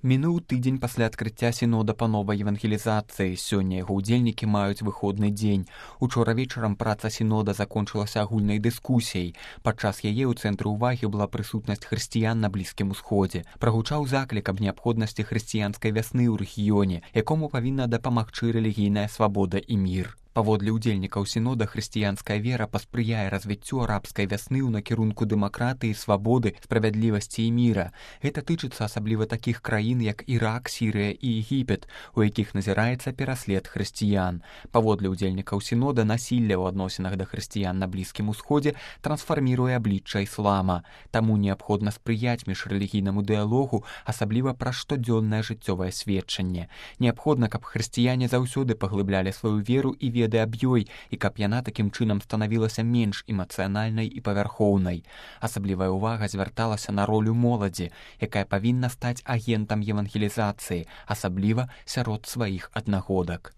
Мінуў тыдзень пасля адкрыцця сінода па новай евангелізацыі. Сёння яго ўдзельнікі маюць выходны дзень. Учора вечарам праца сінода закончылася агульнай дыскусіяй. Падчас яе ў цэнтры ўвагі была прысутнасць хрысціян на Блізкім Усходзе. Прагучаў заклік аб неабходнасці хрысціянскай вясны ў рэгіёне, якому павінна дапамагчы рэлігійная свабода і мір. Паводле ўдзельнікаў сінода, хрысціянская вера паспрыяе развіццю арабскай вясны ў накірунку дэмакратыі, свабоды, справядлівасці і міра. Гэта тычыцца асабліва такіх краін, як Ірак, Сірыя і Егіпет, у якіх назіраецца пераслед хрысціян. Паводле ўдзельнікаў сінода, насілле ў адносінах да хрысціян на Блізкім Усходзе трансфарміруе аблічча іслама. Таму неабходна спрыяць міжрэлігійнаму дыялогу, асабліва праз штодзённае жыццёвае сведчанне. Неабходна, каб хрысціяне заўсёды паглыблялі сваю веру і веды аб ёй, і каб яна такім чынам станавілася менш эмацыянальнай і павярхоўнай. Асаблівая ўвага звярталася на ролю моладзі, якая павінна стаць агентам евангелізацыі, асабліва сярод сваіх аднагодак.